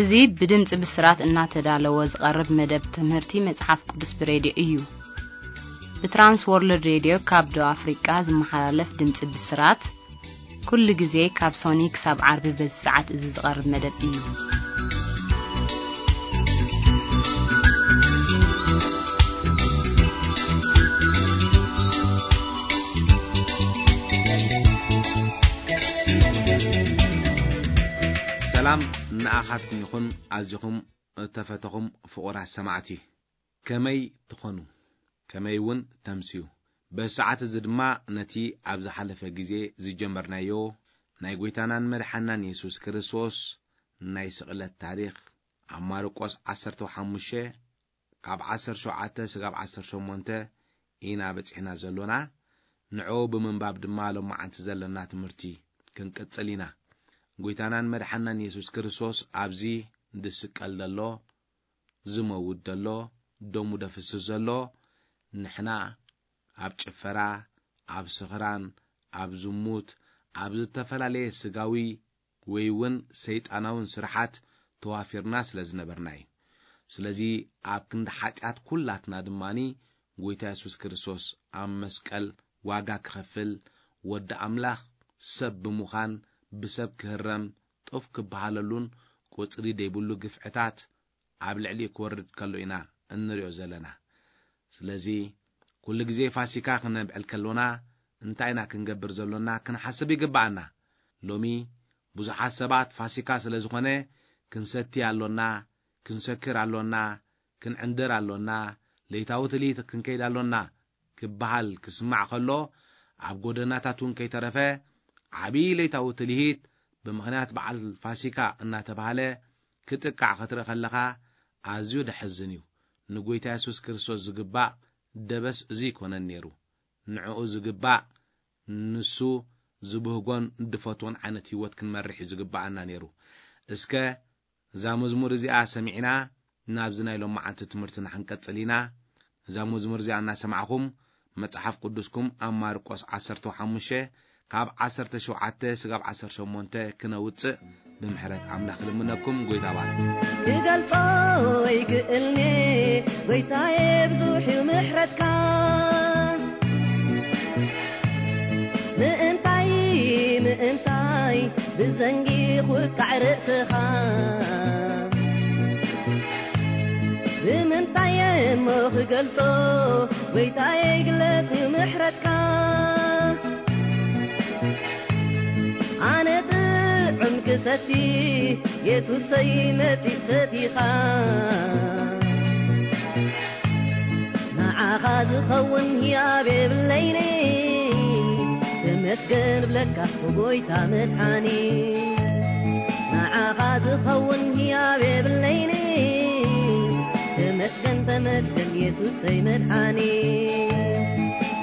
እዚ ብድምፂ ብስራት እናተዳለወ ዝቐርብ መደብ ትምህርቲ መጽሓፍ ቅዱስ ብሬድዮ እዩ። ብትራንስ ወርልድ ሬድዮ ካብ ደቡብ ኣፍሪቃ ዝመሓላለፍ ድምፂ ብስራት፣ ኩሉ ግዜ ካብ ሶኒ ክሳብ ዓርቢ በዚ ሰዓት እዚ ዝቐርብ መደብ እዩ። ሰላም ንኣኻትኩም ይኹን፣ ኣዚኹም እተፈተኹም ፍቑራት ሰማዕቲ። ከመይ ትኾኑ? ከመይ እውን ተምስዩ? በዚ ሰዓት እዚ ድማ ነቲ ኣብ ዝሓለፈ ግዜ ዝጀመርናዮ ናይ ጐይታናን መድሓናን የሱስ ክርስቶስ ናይ ስቕለት ታሪኽ ኣብ ማርቆስ ዓሰርተ ሓሙሽተ ካብ ዓሰርተ ሸውዓተ ስጋብ ዓሰርተ ሸሞንተ ኢና በጺሕና ዘሎና። ንዕኡ ብምንባብ ድማ ሎማዓንቲ ዘለና ትምህርቲ ክንቅጽል ኢና። ጐይታናን መድሓናን የሱስ ክርስቶስ ኣብዚ ዝስቀል ዘሎ፣ ዝመውት ዘሎ፣ ደሙ ደፍስስ ዘሎ፣ ንሕና ኣብ ጭፈራ፣ ኣብ ስኽራን፣ ኣብ ዝሙት፣ ኣብ ዝተፈላለየ ስጋዊ ወይ እውን ሰይጣናውን ስርሓት ተዋፊርና ስለ ዝነበርና እዩ። ስለዚ ኣብ ክንዲ ሓጢኣት ኩላትና ድማኒ ጐይታ የሱስ ክርስቶስ ኣብ መስቀል ዋጋ ክኸፍል፣ ወዲ ኣምላኽ ሰብ ብምዃን፣ ብሰብ ክህረም፣ ጡፍ ክበሃለሉን ቁጽሪ ደይብሉ ግፍዕታት ኣብ ልዕሊኡ ክወርድ ከሎ ኢና እንሪኦ ዘለና። ስለዚ ኩሉ ግዜ ፋሲካ ክነብዕል ከሎና እንታይ ኢና ክንገብር ዘሎና ክንሓስብ ይግብኣና። ሎሚ ብዙሓት ሰባት ፋሲካ ስለ ዝኾነ ክንሰቲ ኣሎና፣ ክንሰክር ኣሎና፣ ክንዕንድር ኣሎና፣ ለይታዊ ትልሂት ክንከይድ ኣሎና ክበሃል ክስማዕ ከሎ፣ ኣብ ጎደናታት እውን ከይተረፈ ዓብዪ ለይታዊ ትልሂት ብምኽንያት በዓል ፋሲካ እናተባህለ ክጥቃዕ ክትርኢ ከለኻ ኣዝዩ ደሕዝን እዩ። ንጎይታ የሱስ ክርስቶስ ዝግባእ ደበስ እዚ ይኮነን ነይሩ። ንዕኡ ዝግባእ ንሱ ዝብህጎን ድፈትዎን ዓይነት ህይወት ክንመርሕ እዩ ዝግባኣና ነይሩ። እስከ እዛ መዝሙር እዚኣ ሰሚዕና ናብዚ ናይ ሎማዓንቲ ትምህርትና ክንቀጽል ኢና። እዛ መዝሙር እዚኣ እናሰማዕኹም መጽሓፍ ቅዱስኩም ኣብ ማርቆስ ዓሰርተ ሓሙሽተ ካብ ዓሰርተ ሸውዓተ ስጋብ ዓሰርተ ሸሞንተ ክነውጽእ ብምሕረት ኣምላኽ ልምነኩም። ጎይታ ባርክ። ክገልጾ ይክእልኔ ጎይታዬ ብዙሕ እዩ ምሕረትካ። ምእንታይ ምእንታይ ብዘንጊ ኹርካዕ ርእስኻ። ብምንታይ እሞ ክገልጾ ጎይታዬ ግለጽ እዩ ምሕረትካ። ኣነ ጥዑም ክሰቲ የሱሰይ መጺእ ሰቲኻ። ንዓኻ ዝኸውን ህያብ የብለይኒ። ተመስገን ብለካ ጎይታ መድሓኒ። ንዓኻ ዝኸውን ህያብ የብለይኒ። ተመስገን ተመስገን የሱሰይ መድሓኒ።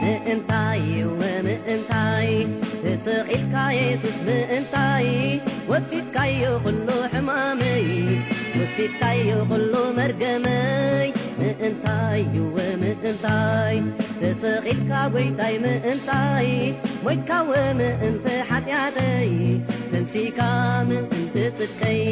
ምእንታይ እወ ምእንታይ ተሰቒልካ የሱስ ምእንታይ ወሲድካዮ ኩሉ ሕማመይ። ወሲድካዮ ኩሉ መርገመይ። ምእንታይ እወ ምእንታይ ተሰቒልካ ጎይታይ ምእንታይ ሞይትካወ ምእንቲ ሓጢኣተይ ተንሲካ ምእንቲ ጽድቀይ።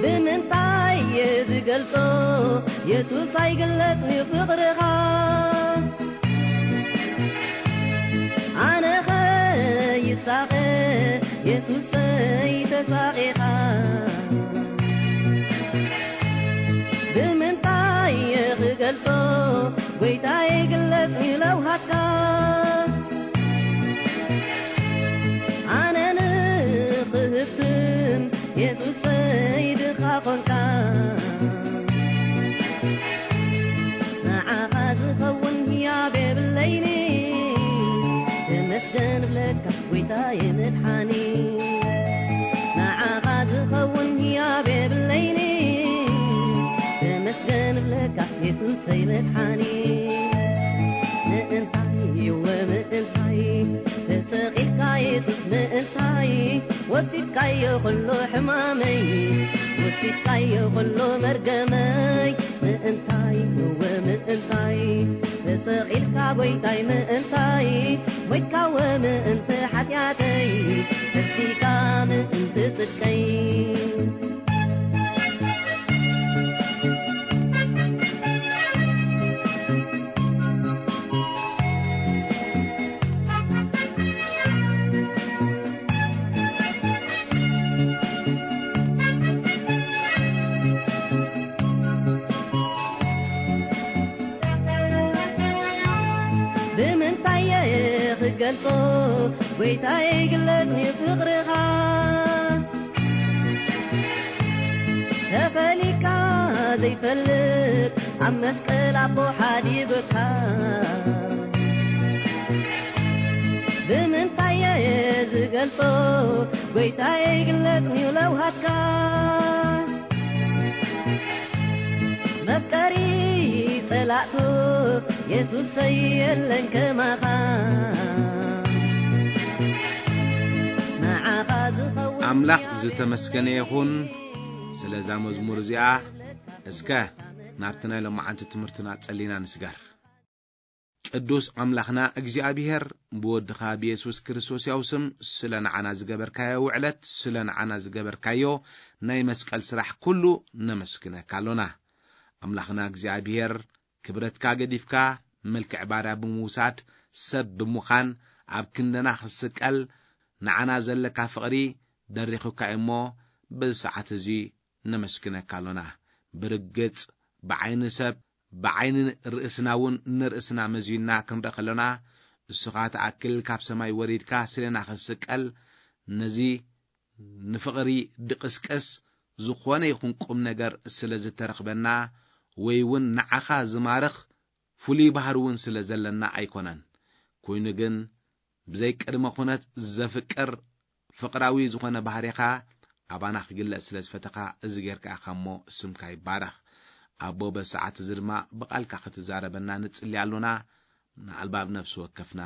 ብምንታይ እየ ዝገልጾ የሱስ ኣይግለጽን እዩ ፍቕርኻ። ኣነኸ ይሳቐ የሱሰይ ተሳቒኻ። ብምንታይ እየ ክገልጾ ጎይታየ ግለጽ ንለውሃትካ። ኣነ ንኽህብትም የሱሰይ ድኻ ኾንካ። ንዓኻ ዝኸውን ህያብ የብለይኒ። ተመስገን ብለካ ጎይታየ መድሓኒ። ንዓኻ ዝኸውን ህያብ የብለይኒ። ተመስገን ብለካ የሱሰይ መድሓኒ። ምእንታይ እወ ምእንታይ ተሰቒልካ የሱስ ምእንታይ ወሲድካዮ ኩሉ ሕማመይ። ወሲድካዮ ኩሉ መርገመይ። ምእንታይ እወ ምእንታይ ተሰቒልካ ጎይታይ ምእንታይ፣ ሞይትካ ምእንቲ ሓጢኣተይ፣ ተሲካ ምእንቲ ጽድቀይ። ብምንታይ እየ ክገልጾ፣ ጎይታየ፣ ግለጽ ንፍቕርኻ። ተፈሊካ ዘይፈልጥ፣ ኣብ መስቀል ኣቦ ሓዲጉካ። ብምንታይ እየ ዝገልጾ፣ ጎይታየ፣ ግለጽ ንለውሃትካ። መፍቀሪ ጸላእቱ የሱሰይ፣ የለን ከማኻ። ንዓኻ ዝኸውን ኣምላኽ ዝተመስገነ ይኹን ስለ እዛ መዝሙር እዚኣ። እስከ ናብቲ ናይ ሎማዓንቲ ትምህርትና ጸሊና ንስገር። ቅዱስ ኣምላኽና እግዚኣብሔር፣ ብወድኻ ብየሱስ ክርስቶስ ያው ስም ስለ ንዓና ዝገበርካዮ ውዕለት፣ ስለ ንዓና ዝገበርካዮ ናይ መስቀል ስራሕ ኩሉ ነመስግነካ ኣሎና። ኣምላኽና እግዚኣብሔር፣ ክብረትካ ገዲፍካ፣ መልክዕ ባርያ ብምውሳድ፣ ሰብ ብምዃን፣ ኣብ ክንደና ክስቀል፣ ንዓና ዘለካ ፍቕሪ ደሪኹካ እሞ፣ በዚ ሰዓት እዚ ነመስግነካ ኣሎና። ብርግጽ፣ ብዓይኒ ሰብ፣ ብዓይኒ ርእስና እውን ንርእስና መዚንና ክንርኢ ከሎና፣ እስኻ ትኣክል ካብ ሰማይ ወሪድካ ስሌና ክትስቀል፣ ነዚ ንፍቕሪ ድቕስቅስ ዝኾነ ይኹን ቁም ነገር ስለ ዝተረኽበና፣ ወይ እውን ንዓኻ ዝማርኽ ፍሉይ ባህሪ እውን ስለ ዘለና ኣይኮነን። ኮይኑ ግን፣ ብዘይ ቅድመ ኩነት ዘፍቅር ፍቕራዊ ዝኾነ ባህሪኻ ኣባና ክግለጽ ስለ ዝፈተኻ፣ እዚ ጌርካ ኢኻ እሞ፣ ስምካ ይባረኽ። ኣቦ፣ በዚ ሰዓት እዚ ድማ ብቓልካ ክትዛረበና ንጽሊ ኣሎና። ንኣልባብ ነፍሲ ወከፍና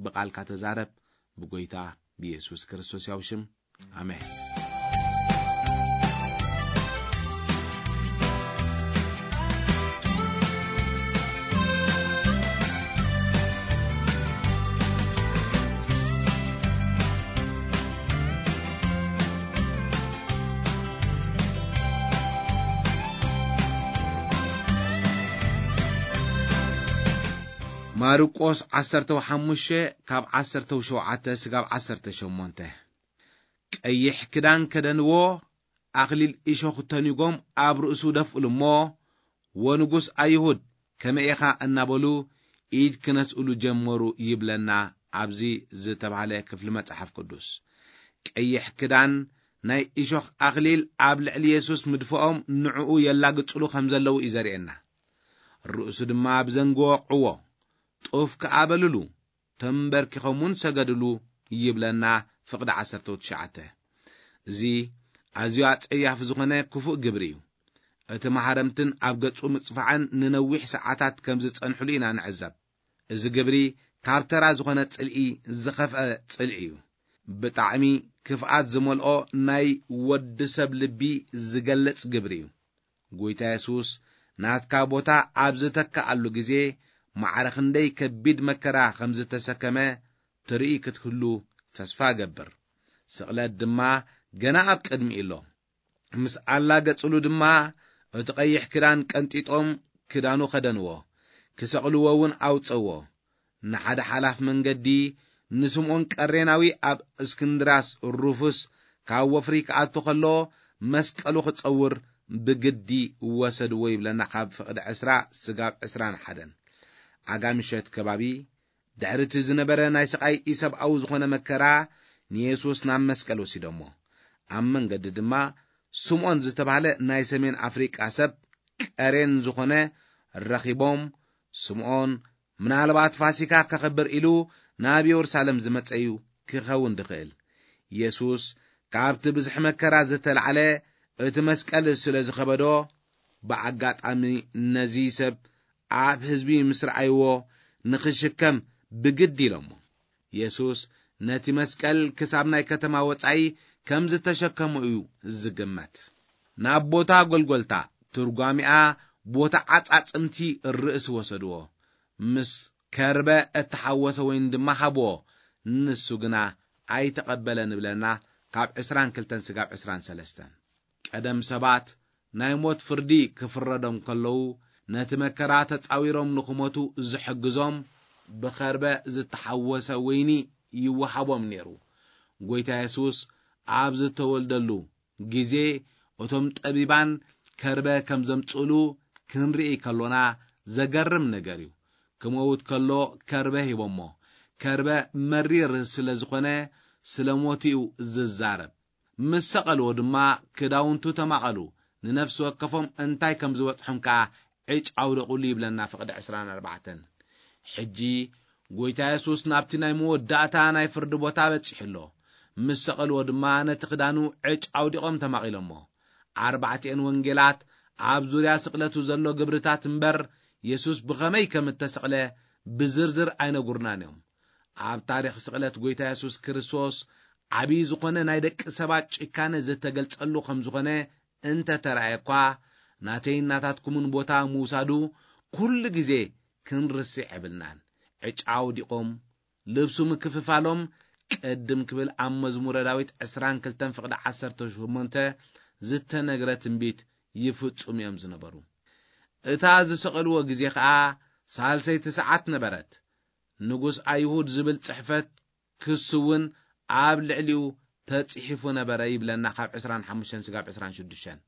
ብቓልካ ተዛረብ፣ ብጎይታ ብየሱስ ክርስቶስ ያው ሽም፣ ኣሜን። ማርቆስ ዓሰርተ ሓሙሽተ ካብ ዓሰርተ ሸውዓተ ስጋብ ዓሰርተ ሸሞንተ። ቀይሕ ክዳን ከደንዎ፣ ኣኽሊል እሾኽ ተኒጎም ኣብ ርእሱ ደፍእሉ እሞ፣ "ወንጉስ ኣይሁድ ከመይ ኢኻ?" እናበሉ ኢድ ክነስእሉ ጀመሩ ይብለና ኣብዚ ዝተባህለ ክፍሊ መጽሓፍ ቅዱስ። ቀይሕ ክዳን፣ ናይ እሾኽ ኣኽሊል ኣብ ልዕሊ የሱስ ምድፍኦም ንዕኡ የላግጽሉ ከም ዘለዉ እዩ ዘርእየና። ርእሱ ድማ ብዘንጊ ወቕዕዎ፣ ጡፍ ከኣ በልሉ፣ ተንበርኪኾም እውን ሰገድሉ ይብለና ፍቕዲ ዓሰርተ ትሽዓተ። እዚ ኣዝዩ ኣጸያፊ ዝኾነ ክፉእ ግብሪ እዩ። እቲ ማህረምትን ኣብ ገጹ ምጽፋዕን ንነዊሕ ሰዓታት ከም ዝጸንሕሉ ኢና ንዕዘብ። እዚ ግብሪ ካብ ተራ ዝኾነ ጽልኢ ዝኸፍአ ጽልኢ እዩ። ብጣዕሚ ክፍኣት ዝመልኦ ናይ ወዲ ሰብ ልቢ ዝገልጽ ግብሪ እዩ። ጎይታ የሱስ ናትካ ቦታ ኣብ ዝተካኣሉ ግዜ፣ ማዕረ ክንደይ ከቢድ መከራ ከም ዝተሰከመ ትርኢ ክትህሉ ተስፋ እገብር። ስቕለት ድማ ገና ኣብ ቅድሚኡ ኣሎ። ምስ ኣላገጽሉ ድማ፣ እቲ ቀይሕ ክዳን ቀንጢጦም ክዳኑ ከደንዎ፣ ክሰቕልዎ እውን ኣውጸዎ። ንሓደ ሓላፍ መንገዲ፣ ንስምዖን ቀሬናዊ ኣብ እስክንድራስ ሩፉስ ካብ ወፍሪ ክኣቱ ከሎ፣ መስቀሉ ክጸውር ብግዲ ወሰድዎ ይብለና፣ ካብ ፍቕዲ ዕስራ ስጋብ ዕስራን ሓደን። ኣጋ ምሸት ከባቢ፣ ድሕሪ እቲ ዝነበረ ናይ ስቓይ ኢሰብኣዊ ዝኾነ መከራ፣ ንየሱስ ናብ መስቀል ወሲዶሞ። ኣብ መንገዲ ድማ፣ ስምዖን ዝተባህለ ናይ ሰሜን ኣፍሪቃ ሰብ ቀሬን ዝኾነ ረኺቦም፣ ስምዖን ምናልባት ፋሲካ ከኽብር ኢሉ ናብ የሩሳሌም ዝመጸ እዩ ክኸውን ድኽእል። የሱስ ካብቲ ብዝሒ መከራ ዝተላዕለ እቲ መስቀል ስለ ዝኸበዶ፣ ብኣጋጣሚ ነዚ ሰብ ኣብ ህዝቢ ምስ ረኣይዎ፣ ንኽሽከም ብግዲ ኢሎሞ። የሱስ ነቲ መስቀል ክሳብ ናይ ከተማ ወጻኢ ከም ዝተሸከሞ እዩ ዝግመት። ናብ ቦታ ጎልጎልታ፣ ትርጓሚኣ ቦታ ዓጻጽምቲ ርእሲ ወሰድዎ። ምስ ከርበ እተሓወሰ ወይኒ ድማ ሃብዎ፣ ንሱ ግና ኣይተቐበለን እብለና ካብ ዕስራን ክልተን ስጋብ ዕስራን ሰለስተን። ቀደም ሰባት ናይ ሞት ፍርዲ ክፍረዶም ከለዉ፣ ነቲ መከራ ተጻዊሮም ንኽሞቱ ዝሕግዞም ብኸርበ ዝተሓወሰ ወይኒ ይወሃቦም ነይሩ። ጎይታ የሱስ ኣብ ዝተወልደሉ ግዜ፣ እቶም ጠቢባን ከርበ ከም ዘምጽእሉ ክንርኢ ከሎና ዘገርም ነገር እዩ። ክመውት ከሎ ከርበ ሂቦሞ። ከርበ መሪር ስለ ዝኾነ፣ ስለ ሞቱ እዩ ዝዛረብ። ምስ ሰቐልዎ ድማ ክዳውንቱ ተማቐሉ፣ ንነፍሲ ወከፎም እንታይ ከም ዝበጽሖም ከኣ ዕጭ ኣውደቑሉ ይብለና ፍቕዲ ዕስራን ኣርባዕተን። ሕጂ ጎይታ የሱስ ናብቲ ናይ መወዳእታ ናይ ፍርዲ ቦታ በጺሑ ኣሎ። ምስ ሰቐልዎ ድማ ነቲ ክዳኑ ዕጭ ኣውዲቖም ተማቒሎሞ። ኣርባዕቲኤን ወንጌላት ኣብ ዙርያ ስቕለቱ ዘሎ ግብርታት እምበር፣ የሱስ ብኸመይ ከም እተሰቕለ ብዝርዝር ኣይነጉርናን እዮም። ኣብ ታሪኽ ስቕለት ጎይታ የሱስ ክርስቶስ ዓብዪ ዝኾነ ናይ ደቂ ሰባት ጭካነ ዝተገልጸሉ ከም ዝኾነ እንተ ተራእየ እኳ፣ ናተይን ናታትኩምን ቦታ ምውሳዱ ኩሉ ግዜ ክንርስዕ የብልናን። ዕጫ ኣውዲቖም፣ ልብሱ ምክፍፋሎም፣ ቅድም ክብል ኣብ መዝሙረ ዳዊት ዕስራን ክልተን ፍቕዲ ዓሰርተ ሸሞንተ ዝተነግረ ትንቢት ይፍጹም እዮም ዝነበሩ። እታ ዝሰቐልዎ ግዜ ኸኣ ሳልሰይቲ ሰዓት ነበረት። ንጉስ ኣይሁድ ዝብል ጽሕፈት ክሲ እውን ኣብ ልዕሊኡ ተጽሒፉ ነበረ ይብለና፣ ካብ ዕስራን ሓሙሽተን ስጋብ ዕስራን ሽዱሽተን።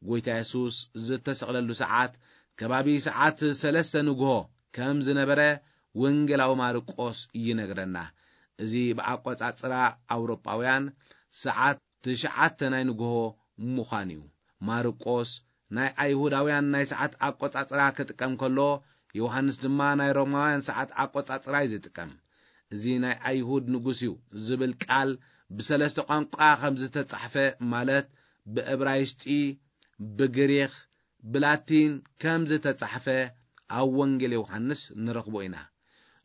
ጎይታ የሱስ ዝተሰቕለሉ ሰዓት ከባቢ ሰዓት ሰለስተ ንግሆ ከም ዝነበረ ወንጌላዊ ማርቆስ ይነግረና። እዚ ብኣቆጻጽራ ኣውሮጳውያን ሰዓት ትሽዓተ ናይ ንግሆ ምዃን እዩ። ማርቆስ ናይ ኣይሁዳውያን ናይ ሰዓት ኣቆጻጽራ ክጥቀም ከሎ፣ ዮሃንስ ድማ ናይ ሮማውያን ሰዓት ኣቆጻጽራ እዩ ዝጥቀም። እዚ ናይ ኣይሁድ ንጉስ እዩ ዝብል ቃል ብሰለስተ ቋንቋ ከም ዝተጻሕፈ፣ ማለት ብእብራይስጢ፣ ብግሪኽ፣ ብላቲን ከም ዝተጻሕፈ ኣብ ወንጌል ዮሃንስ ንረኽቦ ኢና።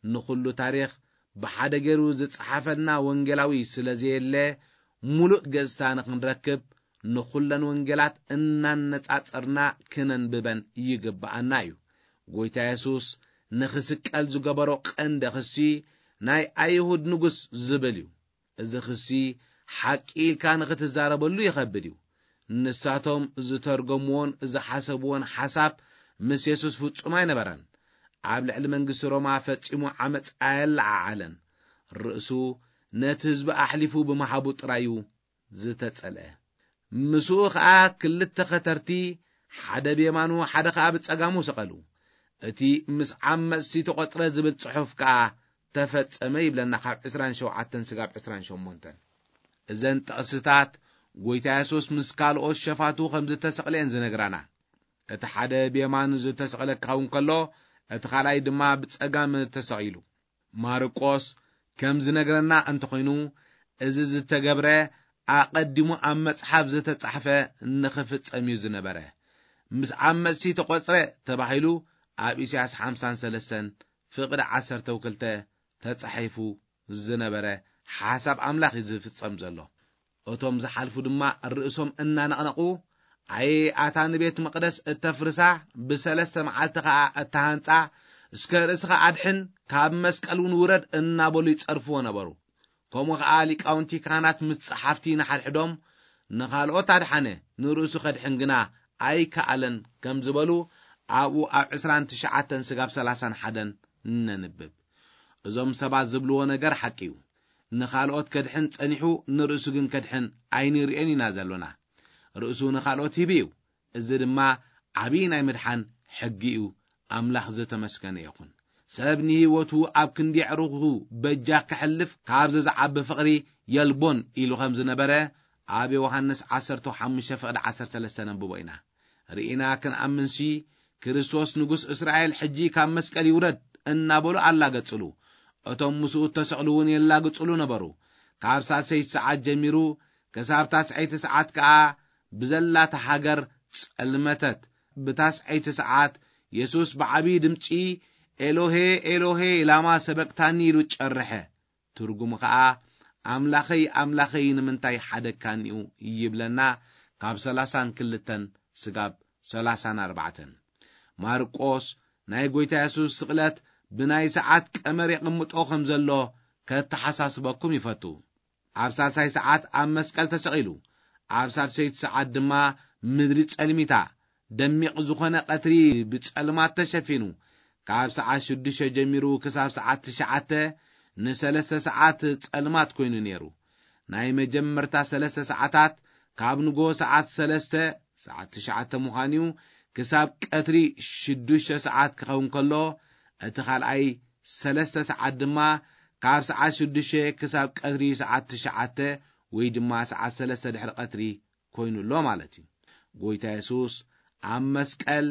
ንኹሉ ታሪኽ ብሓደ ገይሩ ዝጸሓፈልና ወንጌላዊ ስለ ዘየለ፣ ሙሉእ ገጽታ ንኽንረክብ ንኹለን ወንጌላት እናነጻጸርና ክነንብበን ይግብኣና እዩ። ጎይታ የሱስ ንኽስቀል ዝገበሮ ቀንዲ ክሲ ናይ ኣይሁድ ንጉስ ዝብል እዩ። እዚ ክሲ ሓቂ ኢልካ ንኽትዛረበሉ ይኸብድ እዩ። ንሳቶም ዝተርገምዎን ዝሓሰብዎን ሓሳብ ምስ የሱስ ፍጹም ኣይነበረን። ኣብ ልዕሊ መንግስቲ ሮማ ፈጺሙ ዓመጽ ኣየለዓዓለን። ርእሱ ነቲ ህዝቢ ኣሕሊፉ ብምሃቡ ጥራይ እዩ ዝተጸልአ። ምስኡ ኸኣ ክልተ ኸተርቲ፣ ሓደ ብየማኑ ሓደ ኸኣ ብጸጋሙ ሰቐሉ። እቲ ምስ ዓመጽቲ ተቖጽረ ዝብል ጽሑፍ ከኣ ተፈጸመ ይብለና፣ ካብ ዕስራን ሸውዓተን ስጋብ ዕስራን ሸሞንተን። እዘን ጥቕስታት ጎይታ የሱስ ምስ ካልኦት ሸፋቱ ከም ዝተሰቕለ እየን ዝነግራና። እቲ ሓደ ብየማን ዝተሰቕለ ክኸውን ከሎ፣ እቲ ካልኣይ ድማ ብጸጋም ተሰቒሉ። ማርቆስ ከም ዝነግረና እንተኾይኑ፣ እዚ ዝተገብረ ኣቐዲሙ ኣብ መጽሓፍ ዝተጻሕፈ ንኽፍጸም እዩ ዝነበረ። ምስ ዓመጽቲ ተቖጽረ ተባሂሉ ኣብ ኢሳያስ ሓምሳን ሰለስተን ፍቕዲ ዓሰርተ ክልተ ተጻሒፉ ዝነበረ ሓሳብ ኣምላኽ እዩ ዝፍጸም ዘሎ። እቶም ዝሓልፉ ድማ ርእሶም እናነቕነቑ፣ ኣየ ኣታ ንቤት መቕደስ እተፍርሳ፣ ብሰለስተ መዓልቲ ኸኣ እተሃንጻ፣ እስከ ርእስኻ ኣድሕን፣ ካብ መስቀል እውን ውረድ እናበሉ ይጸርፍዎ ነበሩ። ከምኡ ኸኣ ሊቃውንቲ ካህናት ምስ ጸሓፍቲ ንሓድሕዶም፣ ንኻልኦት ኣድሓነ፣ ንርእሱ ከድሕን ግና ኣይከኣለን ከም ዝበሉ ኣብኡ ኣብ ዕስራን ትሽዓተን ስጋብ ሰላሳን ሓደን ነንብብ። እዞም ሰባት ዝብልዎ ነገር ሓቂ እዩ። ንኻልኦት ከድሕን ጸኒሑ፣ ንርእሱ ግን ከድሕን ኣይንርእዮን ኢና ዘሎና። ርእሱ ንኻልኦት ሂቡ እዩ። እዚ ድማ ዓብዪ ናይ ምድሓን ሕጊ እዩ። ኣምላኽ ዝተመስገነ ይኹን። ሰብ ንህይወቱ ኣብ ክንዲ ኣዕሩኹ በጃ ከሕልፍ፣ ካብዚ ዝዓቢ ፍቕሪ የልቦን ኢሉ ከም ዝነበረ ኣብ ዮሃንስ ዓሰርተ ሓሙሽተ ፍቕዲ ዓሰርተ ሰለስተ ነንብቦ ኢና። ርኢና ክንኣምንሲ፣ ክርስቶስ ንጉስ እስራኤል ሕጂ ካብ መስቀል ይውረድ እናበሉ ኣላገጽሉ። እቶም ምስኡ እተሰቕሉ እውን የላግጽሉ ነበሩ። ካብ ሳልሰይቲ ሰዓት ጀሚሩ ክሳብ ታስዐይቲ ሰዓት ከኣ ብዘላታ ሃገር ጸልመተት። ብታስዐይቲ ሰዓት የሱስ ብዓብዪ ድምጺ፣ "ኤሎሄ፣ ኤሎሄ፣ ላማ ሰበቅታኒ?" ኢሉ ጨርሐ። ትርጉሙ ኸኣ፣ "ኣምላኸይ፣ ኣምላኸይ፣ ንምንታይ ሓደግካኒ'ዩ?" ይብለና፣ ካብ ሰላሳን ክልተን ስጋብ ሰላሳን ኣርባዕተን። ማርቆስ ናይ ጐይታ የሱስ ስቕለት ብናይ ሰዓት ቀመር የቕምጦ ከም ዘሎ ከተሓሳስበኩም ይፈቱ። ኣብ ሳልሳይ ሰዓት ኣብ መስቀል ተሰቒሉ፣ ኣብ ሳልሰይቲ ሰዓት ድማ ምድሪ ጸልሚታ፣ ደሚቕ ዝኾነ ቀትሪ ብጸልማት ተሸፊኑ፣ ካብ ሰዓት ሽዱሽተ ጀሚሩ ክሳብ ሰዓት ትሽዓተ ንሰለስተ ሰዓት ጸልማት ኮይኑ ነይሩ። ናይ መጀመርታ ሰለስተ ሰዓታት ካብ ንጎ ሰዓት ሰለስተ፣ ሰዓት ትሽዓተ ምዃን እዩ፣ ክሳብ ቀትሪ ሽዱሽተ ሰዓት ክኸውን ከሎ፣ እቲ ካልኣይ ሰለስተ ሰዓት ድማ ካብ ሰዓት ሽዱሽተ ክሳብ ቀትሪ ሰዓት ትሽዓተ ወይ ድማ ሰዓት ሰለስተ ድሕሪ ቀትሪ ኮይኑ ኣሎ ማለት እዩ። ጎይታ የሱስ ኣብ መስቀል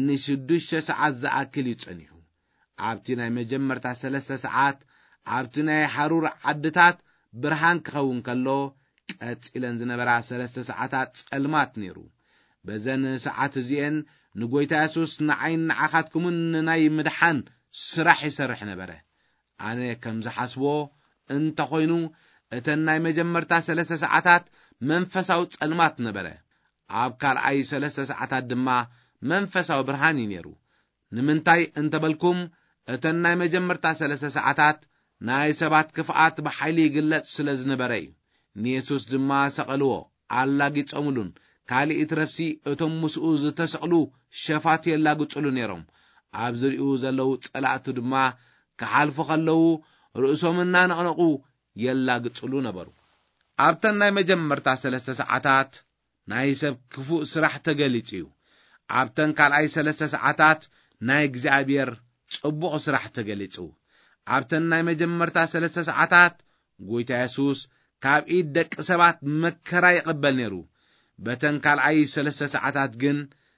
ንሽዱሽተ ሰዓት ዝኣክል እዩ ጸኒሑ። ኣብቲ ናይ መጀመርታ ሰለስተ ሰዓት ኣብቲ ናይ ሓሩር ዓድታት ብርሃን ክኸውን ከሎ፣ ቀጺለን ዝነበራ ሰለስተ ሰዓታት ጸልማት ነይሩ። በዘን ሰዓት እዚኤን ንጎይታ የሱስ ንዓይን ንዓኻትኩምን ንናይ ምድሓን ስራሕ ይሰርሕ ነበረ። ኣነ ከም ዝሓስቦ እንተኾይኑ፣ እተን ናይ መጀመርታ ሰለስተ ሰዓታት መንፈሳዊ ጸልማት ነበረ። ኣብ ካልኣይ ሰለስተ ሰዓታት ድማ መንፈሳዊ ብርሃን እዩ ነይሩ። ንምንታይ እንተበልኩም፣ እተን ናይ መጀመርታ ሰለስተ ሰዓታት ናይ ሰባት ክፍኣት ብሓይሊ ይግለጽ ስለ ዝነበረ እዩ። ንየሱስ ድማ ሰቐልዎ፣ ኣላጊጾምሉን፣ ካልእ ይትረፍሲ እቶም ምስኡ ዝተሰቕሉ ሸፋቱ የላግጹሉ ነይሮም። ኣብ ዝሪኡ ዘለዉ ጸላእቱ ድማ ክሓልፉ ከለዉ ርእሶም እናነቕነቑ የላግጹሉ ነበሩ። ኣብተን ናይ መጀመርታ ሰለስተ ሰዓታት ናይ ሰብ ክፉእ ስራሕ ተገሊጹ እዩ። ኣብተን ካልኣይ ሰለስተ ሰዓታት ናይ እግዚኣብሔር ጽቡቕ ስራሕ ተገሊጹ። ኣብተን ናይ መጀመርታ ሰለስተ ሰዓታት ጎይታ የሱስ ካብ ኢድ ደቂ ሰባት መከራ ይቕበል ነይሩ። በተን ካልኣይ ሰለስተ ሰዓታት ግን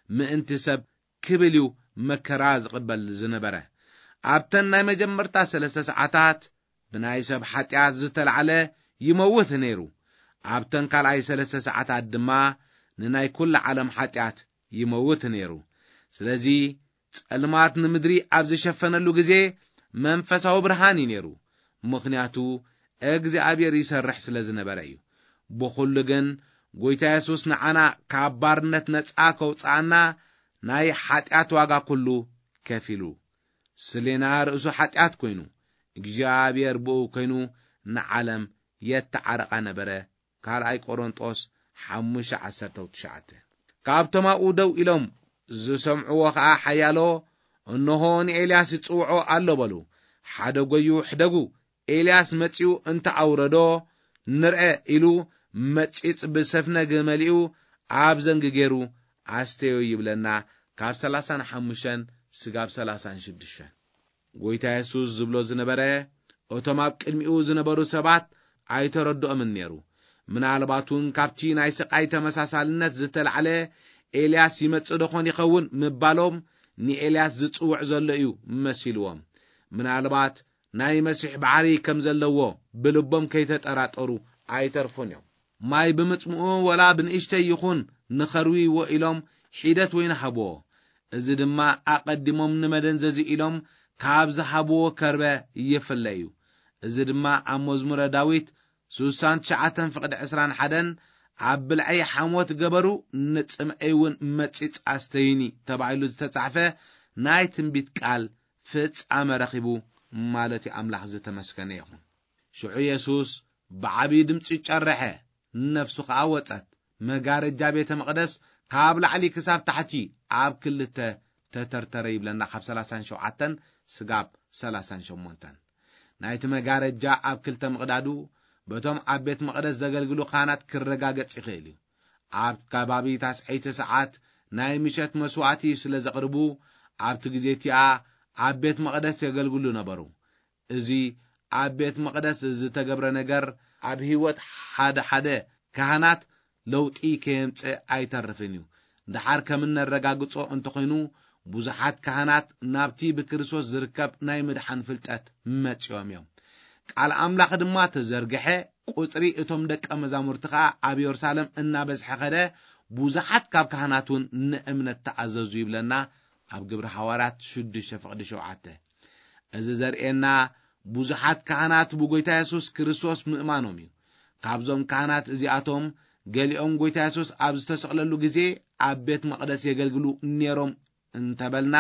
ምእንቲ ሰብ ክብል እዩ መከራ ዝቕበል ዝነበረ። ኣብተን ናይ መጀመርታ ሰለስተ ሰዓታት ብናይ ሰብ ሓጢኣት ዝተላዕለ ይመውት ነይሩ። ኣብተን ካልኣይ ሰለስተ ሰዓታት ድማ ንናይ ኩላ ዓለም ሓጢኣት ይመውት ነይሩ። ስለዚ ጸልማት ንምድሪ ኣብ ዝሸፈነሉ ግዜ መንፈሳዊ ብርሃን እዩ ነይሩ። ምኽንያቱ እግዚኣብሔር ይሰርሕ ስለ ዝነበረ እዩ። ብኹሉ ግን ጎይታ የሱስ ንዓና ካብ ባርነት ነጻ ከውጽኣና ናይ ሓጢኣት ዋጋ ኩሉ ከፊሉ። ስሌና ርእሱ ሓጢኣት ኮይኑ፣ እግዚኣብሔር ብኡ ኮይኑ ንዓለም የተዓረቓ ነበረ። ካልኣይ ቆሮንጦስ ሓሙሽተ ዓሰርተ ትሽዓተ። ካብቶም ኣብኡ ደው ኢሎም ዝሰምዕዎ ኸኣ ሓያሎ፣ "እንሆ ንኤልያስ ይጽውዖ ኣሎ" በሉ። "ሓደጎዩ ሕደጉ፣ ኤልያስ መጺኡ እንተ ኣውረዶ ንርአ" ኢሉ መጺጽ ብሰፍነግ መሊኡ ኣብ ዘንጊ ገይሩ ኣስተዮ ይብለና፣ ካብ ሰላሳን ሓሙሽተን ስጋብ ሰላሳን ሽዱሽተን። ጎይታ የሱስ ዝብሎ ዝነበረ፣ እቶም ኣብ ቅድሚኡ ዝነበሩ ሰባት ኣይተረድኦምን ነይሩ። ምናልባት እውን ካብቲ ናይ ስቓይ ተመሳሳልነት ዝተላዕለ ኤልያስ ይመጽእ ደኾን ይኸውን ምባሎም ንኤልያስ ዝጽውዕ ዘሎ እዩ መሲልዎም። ምናልባት ናይ መሲሕ ባሕሪ ከም ዘለዎ ብልቦም ከይተጠራጠሩ ኣይተርፉን እዮም። ማይ ብምጽምኡ ወላ ብንእሽተይ ይኹን ንኸርዊ ኢሎም ሒደት ወይኒ ሃብዎ። እዚ ድማ ኣቐዲሞም ንመደንዘዚ ኢሎም ካብ ዝሃብዎ ከርበ ይፍለ እዩ። እዚ ድማ ኣብ መዝሙረ ዳዊት ስሳን ትሽዓተን ፍቕዲ ዕስራን ሓደን፣ "ኣብ ብልዐይ ሓሞት ገበሩ፣ ንጽምዐይ እውን መጺጽ ኣስተዩኒ" ተባሂሉ ዝተጻሕፈ ናይ ትንቢት ቃል ፍጻመ ረኺቡ ማለት እዩ። ኣምላኽ ዝተመስገነ ይኹን። ሽዑ የሱስ ብዓብዪ ድምጺ ጨረሐ፣ ነፍሱ ኸኣ ወጸት። መጋረጃ ቤተ መቕደስ ካብ ላዕሊ ክሳብ ታሕቲ ኣብ ክልተ ተተርተረ ይብለና፣ ካብ ሰላሳን ሸውዓተን ስጋብ ሰላሳን ሸሞንተን። ናይቲ መጋረጃ ኣብ ክልተ ምቕዳዱ በቶም ኣብ ቤት መቕደስ ዘገልግሉ ካህናት ክረጋገጽ ይኽእል እዩ። ኣብ ከባቢ ታስዐይቲ ሰዓት ናይ ምሸት መስዋዕቲ ስለ ዘቕርቡ፣ ኣብቲ ግዜ እቲኣ ኣብ ቤት መቕደስ የገልግሉ ነበሩ። እዚ ኣብ ቤት መቕደስ ዝተገብረ ነገር ኣብ ህይወት ሓደ ሓደ ካህናት ለውጢ ከየምጽእ ኣይተርፍን እዩ። ደሓር ከም እነረጋግጾ እንተኾይኑ፣ ብዙሓት ካህናት ናብቲ ብክርስቶስ ዝርከብ ናይ ምድሓን ፍልጠት መጺኦም እዮም። ቃል ኣምላኽ ድማ ተዘርግሐ፣ ቁጽሪ እቶም ደቀ መዛሙርቲ ኸኣ ኣብ የሩሳሌም እናበዝሐ ኸደ፣ ብዙሓት ካብ ካህናት እውን ንእምነት ተኣዘዙ ይብለና ኣብ ግብሪ ሃዋርያት ሽዱሽተ ፍቕዲ ሸውዓተ። እዚ ዘርእየና ብዙሓት ካህናት ብጎይታ የሱስ ክርስቶስ ምእማኖም እዩ። ካብዞም ካህናት እዚኣቶም ገሊኦም ጎይታ የሱስ ኣብ ዝተሰቕለሉ ግዜ ኣብ ቤት መቕደስ የገልግሉ ነይሮም እንተበልና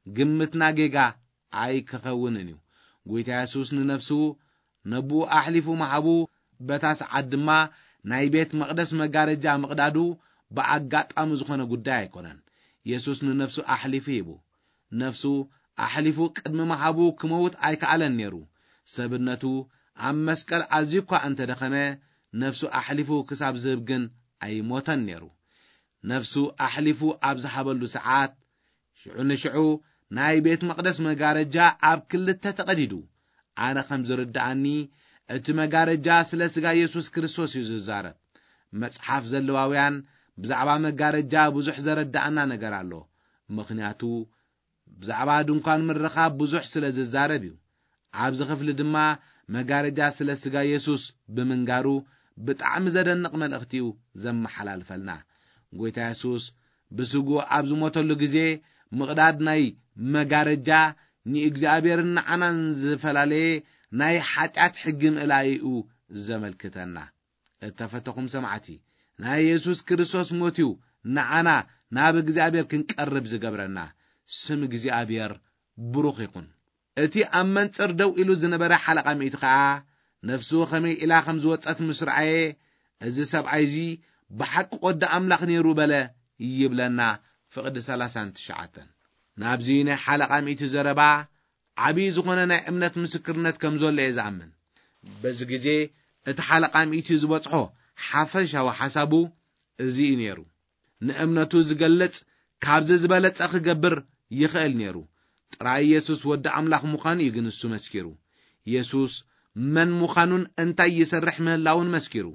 ግምትና ጌጋ ኣይክኸውንን እዩ። ጎይታ የሱስ ንነፍሱ ነብኡ ኣሕሊፉ ምሃቡ፣ በታ ሰዓት ድማ ናይ ቤት መቕደስ መጋረጃ ምቕዳዱ ብኣጋጣሚ ዝኾነ ጉዳይ ኣይኮነን። የሱስ ንነፍሱ ኣሕሊፉ ሂቡ። ነፍሱ ኣሕሊፉ ቅድሚ ምሃቡ ክመውት ኣይከኣለን ነይሩ። ሰብነቱ ኣብ መስቀል ኣዝዩ እኳ እንተደኸመ፣ ነፍሱ ኣሕሊፉ ክሳብ ዝህብ ግን ኣይሞተን ነይሩ። ነፍሱ ኣሕሊፉ ኣብ ዝሃበሉ ሰዓት፣ ሽዑ ንሽዑ ናይ ቤት መቕደስ መጋረጃ ኣብ ክልተ ተቐዲዱ። ኣነ ከም ዝርድኣኒ፣ እቲ መጋረጃ ስለ ስጋ የሱስ ክርስቶስ እዩ ዝዛረብ። መጽሓፍ ዘለዋውያን ብዛዕባ መጋረጃ ብዙሕ ዘረድኣና ነገር ኣሎ። ምኽንያቱ፣ ብዛዕባ ድንኳን ምርኻብ ብዙሕ ስለ ዝዛረብ እዩ። ኣብዚ ክፍሊ ድማ መጋረጃ ስለ ስጋ የሱስ ብምንጋሩ ብጣዕሚ ዘደንቕ መልእኽቲ እዩ ዘመሓላልፈልና። ጎይታ የሱስ ብስግኡ ኣብ ዝሞተሉ ግዜ፣ ምቕዳድ ናይ መጋረጃ ንእግዚኣብሔርን ንዓናን ዝፈላለየ ናይ ሓጢኣት ሕጊ ምእላይኡ ዘመልክተና። እተፈተኹም ሰማዕቲ፣ ናይ የሱስ ክርስቶስ ሞት እዩ ንዓና ናብ እግዚኣብሔር ክንቀርብ ዝገብረና። ስም እግዚኣብሔር ብሩኽ ይኹን። እቲ ኣብ መንጽር ደው ኢሉ ዝነበረ ሓለቓ ሚእቲ ከኣ፣ ነፍሱ ኸመይ ኢላ ኸም ዝወጸት ምስ ረኣየ፣ "እዚ ሰብኣይ እዚ ብሓቂ ወዲ ኣምላኽ ነይሩ" በለ ይብለና፣ ፍቕዲ ሰላሳን ትሽዓተን። ናብዚ ናይ ሓለቓ ሚእቲ ዘረባ ዓብዪ ዝኾነ ናይ እምነት ምስክርነት ከም ዘሎ እየ ዝኣምን። በዚ ግዜ እቲ ሓለቓ ሚእቲ ዝበጽሖ ሓፈሻዊ ሓሳቡ እዚ እዩ ነይሩ። ንእምነቱ ዝገልጽ ካብዚ ዝበለጸ ክገብር ይኽእል ነይሩ። ጥራይ የሱስ ወዲ ኣምላኽ ምዃኑ እዩ ግን እሱ መስኪሩ። የሱስ መን ምዃኑን እንታይ ይሰርሕ ምህላውን መስኪሩ።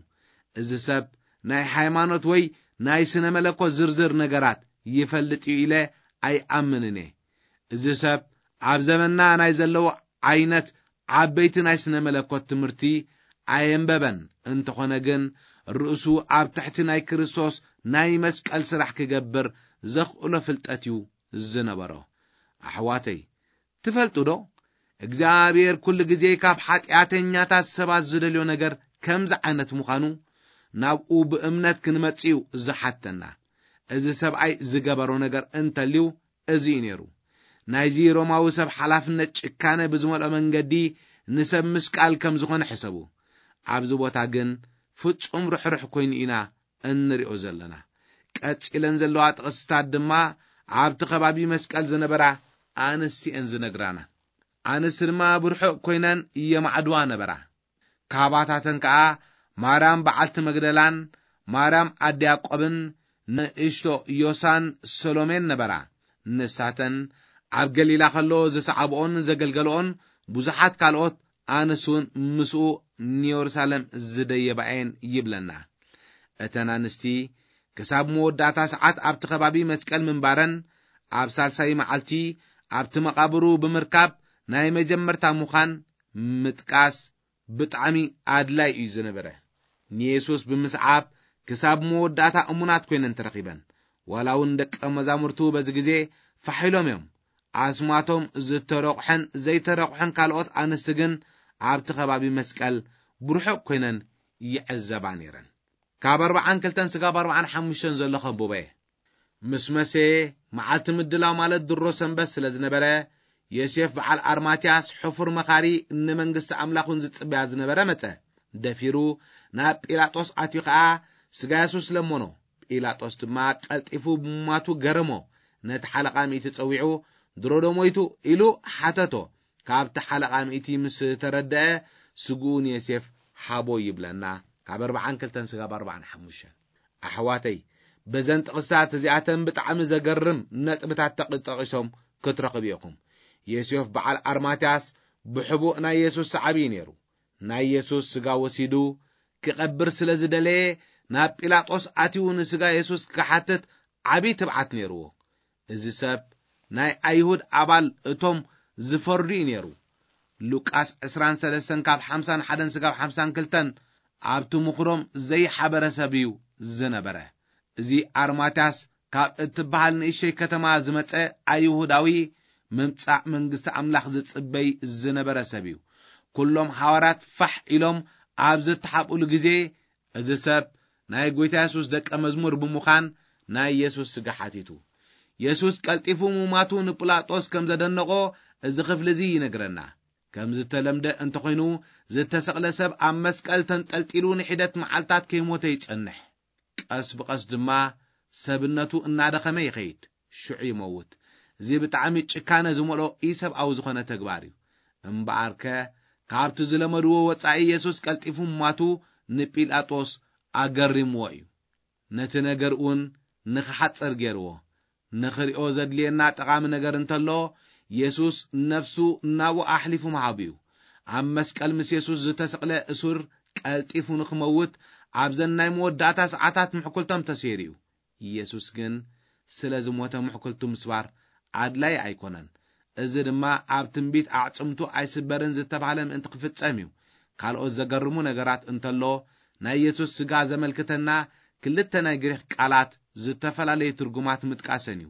እዚ ሰብ ናይ ሃይማኖት ወይ ናይ ስነ መለኮት ዝርዝር ነገራት ይፈልጥ እዩ ኢለ ኣይኣምንን እየ። እዚ ሰብ ኣብ ዘመንና ናይ ዘለዉ ዓይነት ዓበይቲ ናይ ስነ መለኮት ትምህርቲ ኣየንበበን። እንተኾነ ግን፣ ርእሱ ኣብ ትሕቲ ናይ ክርስቶስ ናይ መስቀል ስራሕ ክገብር ዘኽእሎ ፍልጠት እዩ ዝነበሮ። ኣሕዋተይ፣ ትፈልጡ ዶ? እግዚኣብሔር ኩሉ ግዜ ካብ ሓጢኣተኛታት ሰባት ዝደልዮ ነገር ከምዚ ዓይነት ምዃኑ፣ ናብኡ ብእምነት ክንመጽእ እዩ ዝሓተና። እዚ ሰብኣይ ዝገበሮ ነገር እንተልዩ፣ እዚ እዩ ነይሩ። ናይዚ ሮማዊ ሰብ ሓላፍነት ጭካነ ብዝመልኦ መንገዲ ንሰብ ምስቃል ከም ዝኾነ ሕሰቡ። ኣብዚ ቦታ ግን ፍጹም ርሕሩሕ ኮይኑ ኢና እንሪኦ ዘለና። ቀጺለን ዘለዋ ጥቕስታት ድማ ኣብቲ ከባቢ መስቀል ዝነበራ ኣንስቲ እየን ዝነግራና። ኣንስቲ ድማ ብርሑቕ ኮይነን የማዕድዋ ነበራ። ካባታተን ከኣ ማርያም በዓልቲ መግደላን ማርያም ኣደ ያዕቆብን ንእሽቶ ዮሳን ሰሎሜን ነበራ። ንሳተን ኣብ ገሊላ ከሎ ዝሰዓብኦን ዘገልገልኦን ብዙሓት ካልኦት ኣንስቲ እውን ምስኡ ንየሩሳሌም ዝደየባ እየን ይብለና። እተን ኣንስቲ ክሳብ መወዳእታ ሰዓት ኣብቲ ከባቢ መስቀል ምንባረን፣ ኣብ ሳልሳይ መዓልቲ ኣብቲ መቓብሩ ብምርካብ ናይ መጀመርታ ምዃን ምጥቃስ ብጣዕሚ ኣድላይ እዩ ዝነበረ። ንየሱስ ብምስዓብ ክሳብ መወዳእታ እሙናት ኮይነን ተረኺበን። ዋላ እውን ደቀ መዛሙርቱ በዚ ግዜ ፋሕ ኢሎም እዮም። ኣስማቶም ዝተረቑሐን ዘይተረቑሐን ካልኦት ኣንስቲ ግን ኣብቲ ከባቢ መስቀል ብርሑቕ ኮይነን ይዕዘባ ነይረን። ካብ ኣርብዓን ክልተን ስጋብ ኣርብዓን ሓሙሽተን ዘሎ ከንብቦ እየ። ምስ መሰየ፣ መዓልቲ ምድላው ማለት ድሮ ሰንበት ስለ ዝነበረ፣ ዮሴፍ በዓል ኣርማትያስ፣ ሕፉር መኻሪ፣ ንመንግስቲ ኣምላኽ እውን ዝጽበያ ዝነበረ መጸ። ደፊሩ ናብ ጲላጦስ ኣትዩ ኸኣ ስጋ የሱስ ለመኖ። ጲላጦስ ድማ ቀልጢፉ ብምማቱ ገረሞ። ነቲ ሓለቓ ሚእቲ ጸዊዑ፣ "ድሮ ዶ ሞይቱ?" ኢሉ ሓተቶ። ካብቲ ሓለቓ ሚእቲ ምስ ተረድአ፣ ስግኡ ንዮሴፍ ሃቦ ይብለና። ካብ ኣርብዓን ክልተን ስጋብ ኣርብዓን ሓሙሽተን። ኣሕዋተይ፣ በዘን ጥቕስታት እዚኣተን ብጣዕሚ ዘገርም ነጥብታት ተቕ-፣ ጠቒሶም ክትረኽቡ ኢኹም። ዮሴፍ በዓል ኣርማትያስ ብሕቡእ ናይ የሱስ ሰዓቢ እዩ ነይሩ። ናይ የሱስ ስጋ ወሲዱ ክቐብር ስለ ዝደለየ፣ ናብ ጲላጦስ ኣትዩ ንስጋ የሱስ ክሓትት ዓብዪ ትብዓት ነይርዎ። እዚ ሰብ ናይ ኣይሁድ ኣባል እቶም ዝፈርዱ እዩ ነይሩ። ሉቃስ ዕስራን ሰለስተን ካብ ሓምሳን ሓደን ስጋብ ሓምሳን ክልተን ኣብቲ ምኽሮም ዘይሓበረ ሰብ እዩ ዝነበረ። እዚ ኣርማትያስ ካብ እትበሃል ንእሽተይ ከተማ ዝመጸ ኣይሁዳዊ፣ ምምጻእ መንግስቲ ኣምላኽ ዝጽበይ ዝነበረ ሰብ እዩ። ኩሎም ሃዋርያት ፋሕ ኢሎም ኣብ ዝተሓብኡሉ ግዜ፣ እዚ ሰብ ናይ ጐይታ የሱስ ደቀ መዝሙር ብምዃን ናይ የሱስ ስጋ ሓቲቱ። የሱስ ቀልጢፉ ምማቱ ንጲላጦስ ከም ዘደነቖ፣ እዚ ክፍሊ እዚ ይነግረና። ከም ዝተለምደ እንተኾይኑ፣ ዝተሰቕለ ሰብ ኣብ መስቀል ተንጠልጢሉ ንሒደት መዓልታት ከይሞተ ይጸንሕ። ቀስ ብቐስ ድማ ሰብነቱ እናደኸመ ይኸይድ፣ ሽዑ ይመውት። እዚ ብጣዕሚ ጭካነ ዝመልኦ ኢሰብኣዊ ዝኾነ ተግባር እዩ። እምበኣርከ፣ ካብቲ ዝለመድዎ ወጻኢ የሱስ ቀልጢፉ ምማቱ ንጲላጦስ ኣገሪምዎ እዩ። ነቲ ነገር እውን ንኽሓጽር ገይርዎ። ንኽሪኦ ዘድልየና ጠቓሚ ነገር እንተሎ፣ የሱስ ነፍሱ ናብኡ ኣሕሊፉ ምሃቡ እዩ። ኣብ መስቀል ምስ የሱስ ዝተሰቕለ እሱር ቀልጢፉ ንኽመውት ኣብዘን ናይ መወዳእታ ሰዓታት ምሕኩልቶም ተሰይሩ እዩ። ኢየሱስ ግን ስለ ዝሞተ ምሕኩልቱ ምስባር ኣድላይ ኣይኮነን። እዚ ድማ ኣብ ትንቢት ኣዕጽምቱ ኣይስበርን ዝተባህለ ምእንቲ ክፍጸም እዩ። ካልኦት ዘገርሙ ነገራት እንተሎ፣ ናይ የሱስ ስጋ ዘመልክተና ክልተ ናይ ግሪኽ ቃላት ዝተፈላለየ ትርጉማት ምጥቃሰን እዩ።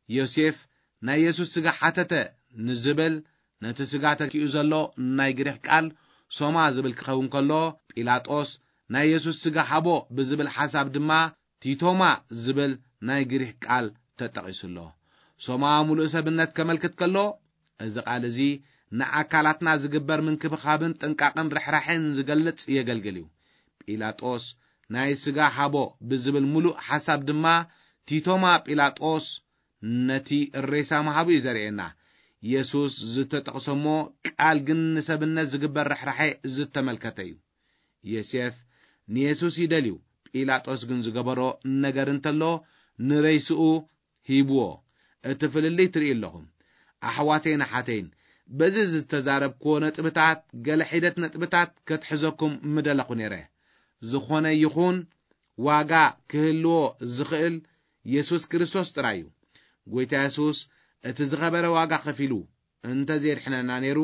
ዮሴፍ ናይ የሱስ ስጋ ሓተተ ንዝብል፣ ነቲ ስጋ ተኪኡ ዘሎ ናይ ግሪኽ ቃል ሶማ ዝብል ክኸውን ከሎ፣ ጲላጦስ ናይ የሱስ ስጋ ሃቦ ብዝብል ሓሳብ ድማ ቲቶማ ዝብል ናይ ግሪኽ ቃል ተጠቒሱ ኣሎ። ሶማ ምሉእ ሰብነት ከመልክት ከሎ፣ እዚ ቃል እዚ ንኣካላትና ዝግበር ምንክብኻብን ጥንቃቕን ርሕራሕን ዝገልጽ የገልግል እዩ። ጲላጦስ ናይ ስጋ ሃቦ ብዝብል ምሉእ ሓሳብ ድማ ቲቶማ ጲላጦስ ነቲ ሬሳ ምሃቡ እዩ ዘርእየና። የሱስ ዝተጠቕሰሞ ቃል ግን ንሰብነት ዝግበር ርሕራሐ ዝተመልከተ እዩ። ዮሴፍ ንየሱስ ይደልዩ፣ ጲላጦስ ግን ዝገበሮ ነገር እንተሎ ንሬስኡ ሂብዎ። እቲ ፍልልይ ትርኢ ኣለኹም። ኣሕዋተይን ኣሓተይን፣ በዚ ዝተዛረብክዎ ነጥብታት ገለ ሒደት ነጥብታት ከትሕዘኩም ምደለኹ ነይረ። ዝኾነ ይኹን ዋጋ ክህልዎ ዝኽእል የሱስ ክርስቶስ ጥራይ እዩ። ጎይታ የሱስ እቲ ዝኸበረ ዋጋ ከፊሉ እንተ ዘየድሕነና ነይሩ፣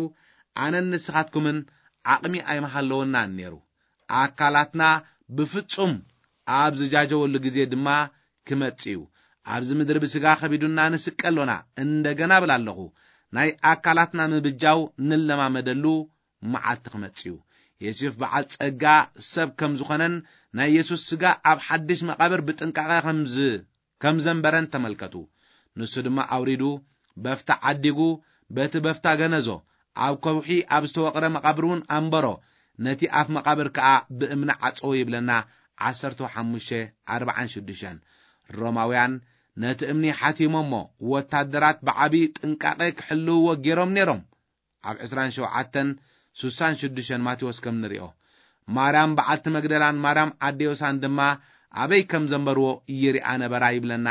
ኣነን ንስኻትኩምን ዓቕሚ ኣይምሃለወናን ነይሩ። ኣካላትና ብፍጹም ኣብ ዝጃጀወሉ ግዜ ድማ ክመጽእ እዩ። ኣብዚ ምድሪ ብስጋ ከቢዱና ንስቀ ኣሎና። እንደገና እብል ኣለኹ፣ ናይ ኣካላትና ምብጃው ንለማመደሉ መዓልቲ ክመጽእ እዩ። የሱስ በዓል ጸጋ ሰብ ከም ዝኾነን ናይ የሱስ ስጋ ኣብ ሓድሽ መቓብር ብጥንቃቐ ከም ዝ-፣ ከም ዘንበረን ተመልከቱ። ንሱ ድማ ኣውሪዱ፣ በፍታ ዓዲጉ፣ በቲ በፍታ ገነዞ፣ ኣብ ከውሒ ኣብ ዝተወቕረ መቓብር እውን ኣንበሮ፣ ነቲ ኣፍ መቓብር ከኣ ብእምኒ ዓጸዎ ይብለና። ዓሰርተ ሓሙሽተ ኣርባዓን ሽዱሽተን። ሮማውያን ነቲ እምኒ ሓቲሞሞ፣ ወታደራት ብዓቢ ጥንቃቐ ክሕልውዎ ገይሮም ነይሮም። ኣብ ዕስራን ሸውዓተን ስሳን ሽዱሽተን ማቴዎስ ከም ንሪኦ፣ ማርያም በዓልቲ መግደላን ማርያም ኣደ ዮሳን ድማ ኣበይ ከም ዘንበርዎ ይሪኣ ነበራ ይብለና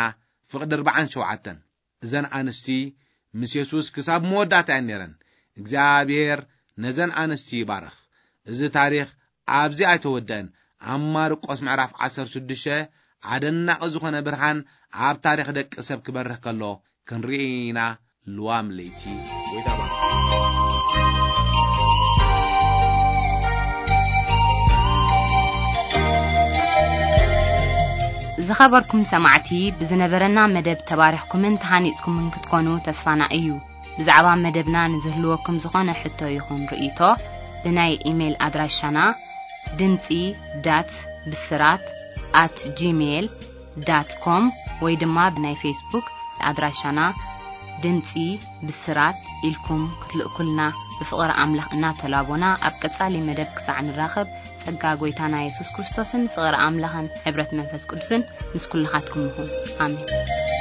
ፍቕዲ ኣርባዓን ሸውዓተን። እዘን ኣንስቲ ምስ የሱስ ክሳብ መወዳእታ እየን ነይረን። እግዚኣብሔር ነዘን ኣንስቲ ይባርኽ። እዚ ታሪኽ ኣብዚ ኣይተወደአን። ኣብ ማርቆስ ምዕራፍ ዓሰርተ ሽዱሽተ ኣደናቒ ዝኾነ ብርሃን ኣብ ታሪኽ ደቂ ሰብ ክበርህ ከሎ ክንርኢ ኢና። ልዋም ለይቲ። ጎይታ ባርክ። ዝኸበርኩም ሰማዕቲ፣ ብዝነበረና መደብ ተባሪኽኩምን ተሃኒጽኩምን ክትኮኑ ተስፋና እዩ። ብዛዕባ መደብና ንዝህልወኩም ዝኾነ ሕቶ ይኹን ርእይቶ፣ ብናይ ኢሜይል ኣድራሻና ድምጺ ዳት ብስራት ኣት ጂሜይል ዳት ኮም ወይ ድማ ብናይ ፌስቡክ ኣድራሻና ድምጺ ብስራት ኢልኩም ክትልእኩልና ብፍቕሪ ኣምላኽ እናተላቦና፣ ኣብ ቀጻሊ መደብ ክሳዕ ንራኸብ፣ ጸጋ ጎይታና የሱስ ክርስቶስን ፍቕሪ ኣምላኽን ሕብረት መንፈስ ቅዱስን ምስ ኩልኻትኩም ይኹን። ኣሜን።